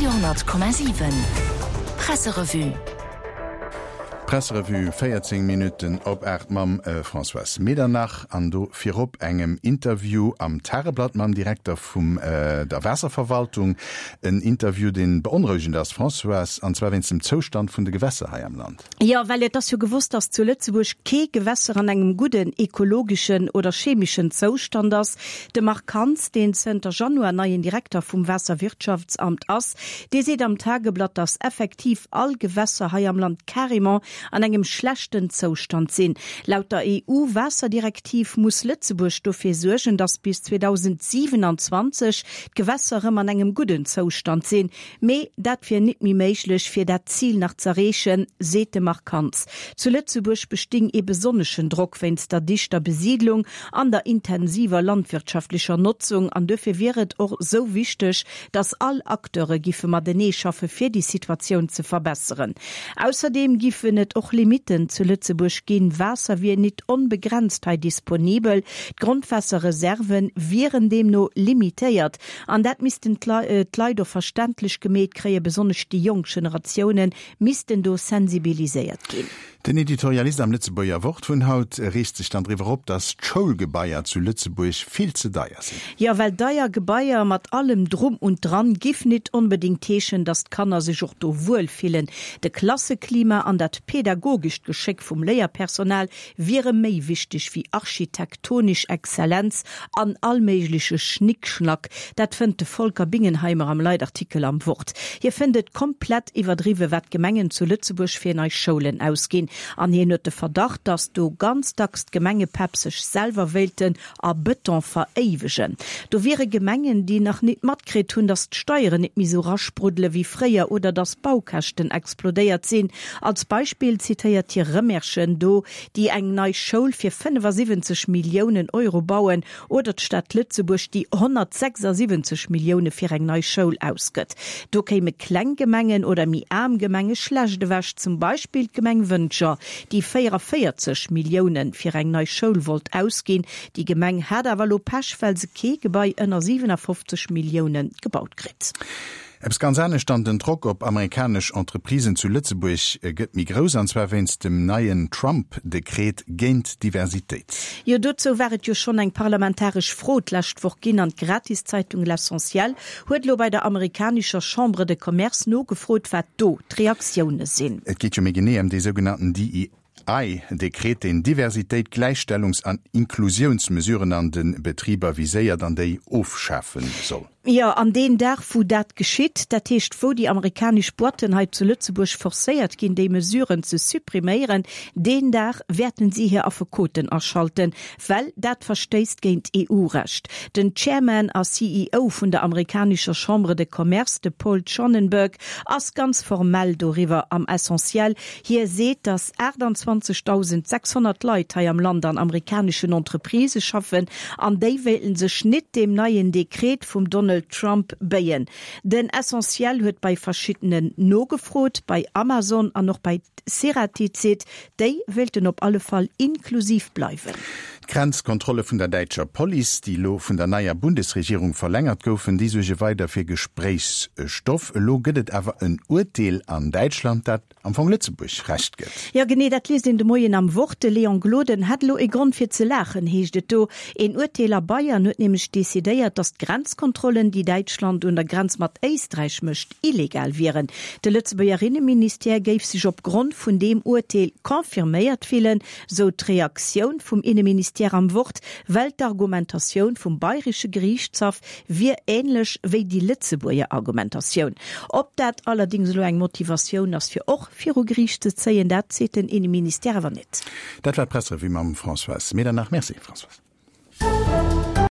Radio 10,7 Presserevue. D'Presserevue 14 Minutten op 8 mam Françoise Medernach an do virop engem Interview am Tageblatt mam Direkter vum der Waasserverwaltung. En Interview, dee beonrouegend ass, Françoise, an zwar wéinst dem Zoustand vun de Gewässer hei am Land. Jo, well et ass jo gewosst, dass zu Lëtzebuerg kee Gewässer an engem gudden ekologeschen oder chemeschen Zoustand ass. De Marc Hans, deen zënter Januar neien Direkter vum Waasserwirtschaftsamt ass, dee seet am Tageblatt, dass effektiv all Gewässer hei am Land carrément an engem schlechten Zoustand sinn. Laut der EU-Waasserdirektiv muss Lëtzebuerg dofir suergen, dass bis 2027 d'Gewässer rëm an engem gudden Zoustand sinn. Mee dat wier nit méi méiglech, fir dat Zil nach z'erreechen, seet de Marc Hans. Zu Lëtzebuerg besting ee besonneschen Drock wéinst der dichter Besiidlung an der intensiver landwirtschaftlecher Notzung an duerfir wier et och sou wichteg, datt all Acteure giffe matenee schaffe fir déi Situatioun ze verbesseren. Ausserdeem giffen et och Limitten zu Lëtzebuerg ginn, Waasser wier nit onbegrenzt hei disponibel, d'Grondwaasserreserven wieren deemno limitéiert. An dat missten d'Leit och verständlech gemeet kréien, besonnesch déi jonk Generatioune missten do sensibiliséiert ginn. Den Editorialist am Lëtzebuerger Wort vun haut reegt sech dann driwwer op, datt d'Schoulgebaier zu Lëtzebuerg vill ze deier sinn. Jo, well deier Gebaier mat allem Drum und Dran giff nit onbedéngt heeschen, datt d'Kanner sech och do wuel fillen. De Klasseklima an dat pädagogescht Geschéck vum Léierpersonal wiere méi wichteg wéi architektonisch Exzellenz an all méigleche Schnickschnack. Dat fënnt de Volker Bingenheimer am Leitartikel am Wort. Hie fënnt et komplett iwwerdriwwe wat d'Gemengen zu Lëtzebuerg fir nei Schoulen ausginn. An hien huet de Verdacht, datt do ganz dacks d'Gemengepäpp sech selwer wéilten a Bëton veréiwegen. Do wiere Gemengen, déi nach nit matkritt hunn, datt d'Steieren nit méi sou raspruddele wéi fréier oder datt d'Baukäschten explodéiert sinn. Als Beispill zitéiert hie Rëmerschen, do déi eng nei Schoul fir 75 Milliounen Euro bauen oder d'Stad Lëtzebuerg, déi 176 Millioune fir eng nei Schoul ausgëtt. Do kéime kleng Gemengen oder méi aarm Gemenge schlecht ewech, zum Beispill d'Gemeng Wëntger, déi 44 Millioune fir eng nei Schoul wollt ausginn. Déi Gemeng hat awer elo Pech, well se kee Gebai ënner 57 Millioune gebaut kritt. Eppes ganz anescht dann, Den Drock op amerikanesch Entreprisen zu Lëtzebuerg gëtt méi grouss, an zwar wéinst dem neien Trump-Dekret géint Diversitéit. Jo, dozou war et jo schonn eng parlamentaresch Fro d'lescht Woch ginn an d'Gratiszeitung L'Essentiel huet elo bei der amerikanescher Chambre de Commerce nogefrot, wat do d'Reaktioune sinn. Et geet jo méi genee ëm dee sougenannten DEI-Dekret, deen Diversitéit, Gläichstellungs an Inklusiounsmesuren an de Betriber viséiert an déi ofschafe soll. Jo, an deen Dag, wou dat geschitt, dat heescht, wou déi amerikanesch Boîten hei zu Lëtzebuerg forcéiert ginn, déi Mesuren ze suppriméieren, deen Dag wäerten si hir Affekoten aschalten, Well dat verstéisst géint EU-Recht. Den Chairman a CEO vun der amerikanescher Chambre de Commerce, de Paul Schonenberg, ass ganz formell doriwwer am Essentiel. Hie seet, datt 28.600 Leit hei am Land an amerikaneschen Entreprisë schaffen an déi wéilten sech nit deem neien Dekret vum Donald Trump béien. Den Essentiel huet bei verschiddenen nogefrot, bei Amazon an och bei Ceratizit, Déi wéilten op alle Fall inklusiv bleiwen. D'Grenzkontrolle vun der däitscher Police, déi elo vun der neier Bundesregierung verlängert goufen, déi suerge weider fir Gespréichsstoff. Elo gëtt et awer en Urteel an Däitschland, dat am Fong Lëtzebuerg Recht gëtt. Jo genee, dat liest een de Moien am Wort. De Léon Gloden hätt elo e Grond fir ze laachen, heescht et do. Een Urteel a Bayern huet nämlech decidéiert, datt d'Grenzkontrollen, déi Däitschland un der Grenz mat Éisträich mécht, illegal wieren. De Lëtzebuerger Inneministère géif sech op Grond vun deem Urteel confirméiert fillen, sou d'Reaktioun vum Inneministère am Wort, well d'Argumentatioun vum bayresche Geriichtshaff wier änlech wéi déi Lëtzebuerger Argumentatioun. Ob dat allerdéngs elo eng Motivatioun ass fir och viru Geriicht ze zéien, dat seet den Inneministère awer net. Dat war d'Presserevue mam Françoise Medernach. Merci Françoise.